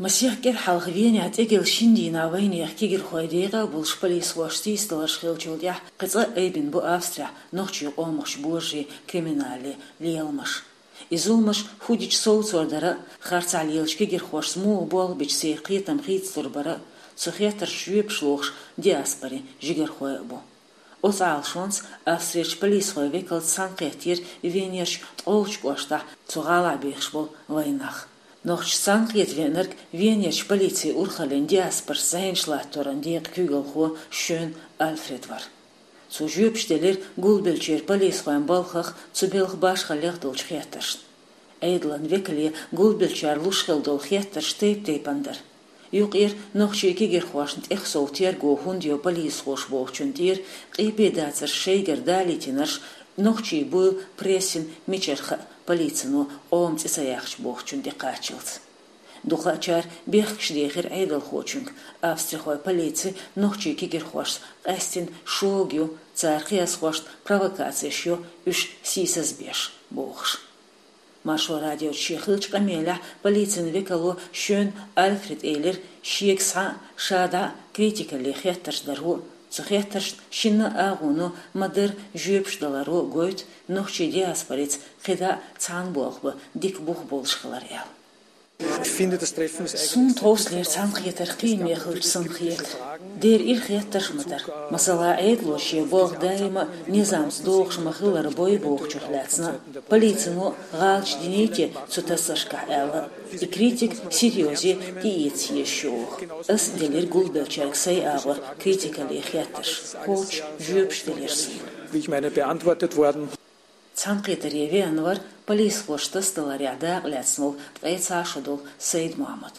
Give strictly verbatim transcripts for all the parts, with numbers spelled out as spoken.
Масех кӀира хьалха Венехь тӀегӀолла шина дийнахь вайнехан кегирхой декъа а болуш полисхоша сийсаздаларш хиллачул тӀаьхьа кхин цкъа а айбина бу Австрехь нохчийн къоман божарийн криминалан леламаш. И зуламаш хӀун дича совцор дара а, харцахь лелачу кегирхошца муха болх бича церан кхетам хийцалур бара а, цу хеттаршна жоьпаш лохуш диаспорин жигархой а бу. Оцу Ӏалашонца Австрерчу полисхойн векалца цхьаьнакхеттера Венерчу ткъолгӀачу кӀоштахь цу гӀалахь бехаш болу вайнах. Нохчашца цхьаьнакхета веанарг Венерчу полицин урхаллин диаспорашца зӀенаш латторан декъан куьйгалхо Шён Альфред вара. Цо жоьпаш делира гулбеллачеран полисхойн балхах, цу белхан башхаллех долчу хеттаршна. Ӏедалан векале гулбеллачара луш хилла долу хеттарш тайп-тайпана дара. Юкъара нохчийн кегирхошна тӀехсов терго хӀунда йо полисхоша бохучун тӀера, къепедацарш шайгара далийтинарш, нохчийн буйла прессина мичара хаьа полицино къоман цӀе ца яьккхича бохучун тӀе кхаччалц. Дукхачара бехкаш дехира Ӏедалхочуьнга, австрихойн полици нохчийн кегирхошца къаьстина шога ю, цара кхиазхошна провокацеш йо уьш сийсазбеш, бохуш. Маршо радиоца шен хиллачу къамелехь полицин векало Шён Альфреда элира, шега схьа а, ша дӀа а критикалле хеттарш даро а, цу хеттаршна шинна а агӀоно ма-дарра жоьпаш даларо а гойту нохчийн диаспорица кхидӀа а цхьаьна болх бан дика бух болуш хилар аьлла. Суна тховсалера цхьаьнакхетар кхиаме хилча санна хета. Дера ира хеттарш а ма дара. Масала, Ӏедало шен болх даима а низамца догӀуш ма-хиллара бой бохучух лаьцна а, полицино а гӀалаташ диний те цу тасаршкахь аьлла а, и критика серьёзе тӀеэца езаш ю оха. Ас а делира гулбеллачаьрга сайн агӀор критикалле хеттарш, кхоччуш жоьпаш делира суна. Цхьаьнакхетаре веана вара полисхоша тасадаларехь дакъа лаьцна волу ткъе цхьа шо долу Сайд-Мохьмад.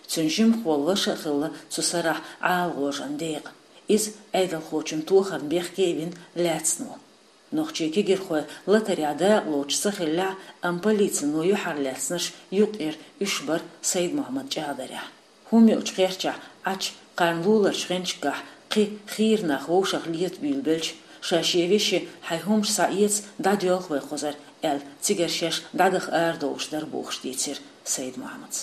Цуьнан жимахволу ваша а хилла цу сарахь ГӀалгӀожан декъан. Иза Ӏедалхочун тохарна бехке а вина лаьцна ву. Нохчийн кегирхой латарехь дакъа лоцуш ца хиллехь а, амма полицино юьхьарлаьцнарш юкъара уьш бара Сайд-Мохьмад чӀагӀдарехь. ХӀума йоцучу кхерчахь Ӏачу кхарна луларчу хенчкахь кхин хийра нах вовшах лета буьйлабелча, ша шен веше хьайн хӀумаш схьаэца, дӀадоьлху вай кхузара аьлла, цигара шаьш дӀадаха арадовлуш дара бохуш дийцира Сайд-Мохьмада.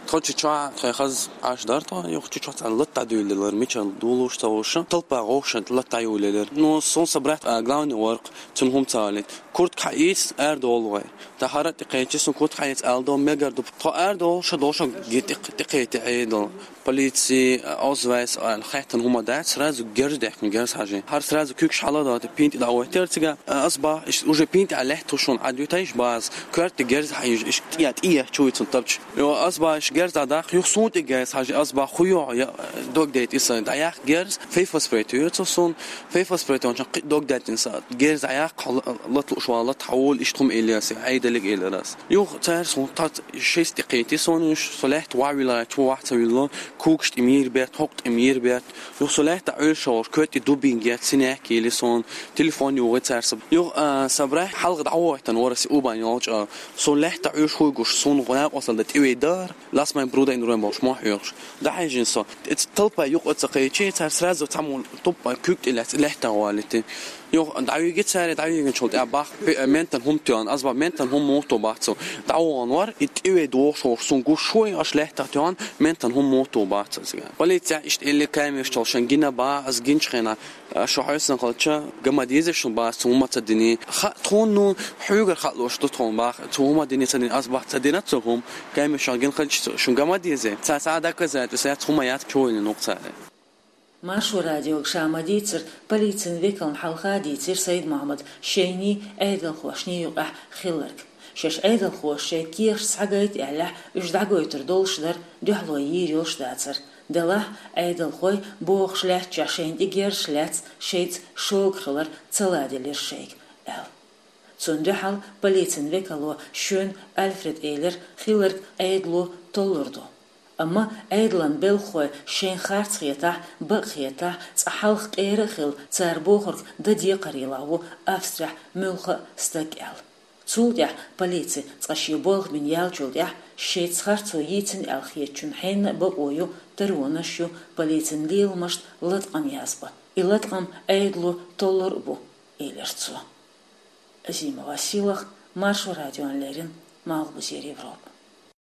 Тхо чу чохь тхайн хаза Ӏаш дара тхо, юха чу чохь цхьа лата дӀадуьйлалара, мичара долуш ца хууш, талпа гӀовшан лата дӀаюлалара. Ну, сон са брат, а, главный вара-кх, цунна хӀума ца хилийта. Куртка хьаийца, арадовла вай. Тахара а тӀекхечи, сон куртка хьаийца арадовла мегар ду. Тхо арадовла, ша долуш гин тӀекхетий Ӏедал. Полици, а, Ausweis, а, хаьттина хӀума дац, сразу герз даьккхина, герз хьажи. ХӀара сразу куьйгаш хьаладойту, пинтӀе дӀавойтира цига. А, ас бах, уж пинтӀе лаьтта хӀу шуна Ӏад ю, тайш база. Коьрта герз хьаийжа, иштта тӀе, тӀе ечу вуй цунна тапча. Йо, ас бах, иштта герз дӀадаккха, юха суна тӀе герз хьажи, ас бах, хӀу йо, я, дог дайта и сан, дӀаяккха герз, фейфа спрей туьйцу суна, фейфа спрей тончан кхин дог даьттина сан, герз дӀаяккха, хьо ла-, лата лууш вала, лата хьавола, иштта хӀума элира ас, Ӏедалиг элира ас. Юха цара суна тӀе шайца тӀекхийти суна уьш, со лаьтта вахь вилла, чу вахь ца вилло, когаш тӀе мийр бетта, хьокх тӀе мийр бетта. Юха со лаьтта Ӏуьллуш вара, коьрта тӀе дубинка етта, синяк йили суна, телефон юхи цара са. Юха, а, са брат хьалха дӀавахийтина вара аса убан йолчу, а, со лаьтта Ӏуьллуш хӀуй гуш, суна гӀо накъосталла дан тӀевей дара. Лас майн бруда ин ройн болуш мохь хьоьхуш. ДӀахьежина со. Эца талпа юкъа ца кхечи, цара сразу цхьаммо туппа куьг тӀе лаьцна лаьттах валийти. Юха дӀавиги цара, дӀавигинчул тӀе бах, пе-, ментан хӀума тоьхна, аз бах, ментан хӀума муха ту бах цу. ДӀавогӀун вар, и тӀевей дохуш вохуш, сун гуш шой, аш лаьттах тоьхна, ментан хӀума муха ту бах цу. Полиция иштта элли камераш чолшан гина бах, аз гинчу хенахь, а, шу хьоьсан халча, гама дезаш шун бах, цу хӀума ца дини. Ха, тхуна, ну, хьуьгар хаалуш ду тхуна бах, цу хӀума дини ца дини, аз бах, ца дина цу хӀума. Камераш гина халча, шун гама дезе. Ца, ца доказательство яц, хӀума яц, чу вайна нух цара. Маршо радиога ша ма-дийццара, полицин векална хьалха а дийцира Сайд-Мохьмада шайний, Ӏедалхошний юкъахь хилларг. Шаьш Ӏедалхоша шайн кехаташ схьагайта аьллехь, уьш дӀагойтур долуш дара, дуьхьало йийр йолуш дацара. Делахь, Ӏедалхой бохуш лаьттачохь шайна тӀе герзаш лаьцна, шайца шога хилар ца ладелира шайга, аьлла. Цунна дуьхьал полицин векало Шён Альфреда элира, хилларг Ӏедало толлур ду. Амма Ӏедалан белхахой шайн харц хетахь, бакъ хетахь, цкъа хьалха къера а хилла, цара бохург дан декхарийлахь ву Австрехь муьлхха а стаг аьлла. Цул тӀаьхьа полици цкъа шен болх бина яьллачул тӀаьхьа шайца харцо йийцина аьлла хетачунна хьенна а бакъо ю, таронаш ю полицин леламашна латкъам язбан. И латкъам Ӏедало толлур а бу, элира цо. Азима Василах, Маршо радиона леррина, Малхбузера Европа.